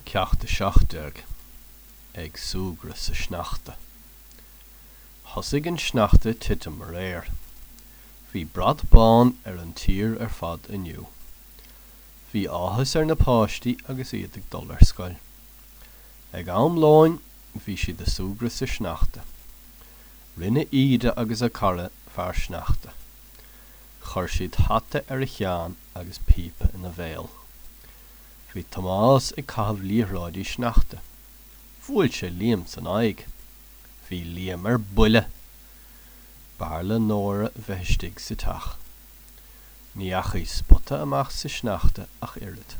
Ceacht 17, Ag súgradh sa sneachta. Thosaigh an sneachta ag titim aréir. Bhí brat bán ar an tír ar fad inniu. Bhí áthas ar na páistí agus iad ag dul ar scoil. Ag am lóin bhí siad ag súgradh sa sneachta. Rinne Íde agus a cara fear sneachta. Chuir siad hata ar a cheann agus píopa ina bhéal. Bhí Tomás ag caitheamh liathróidí sneachta. Bhuail sé Liam san aghaidh. Bhí Liam ar buile! B'fhearr le Nóra bheith istigh sa teach. Ní dheachaigh Spota amach sa sneachta ach oiread.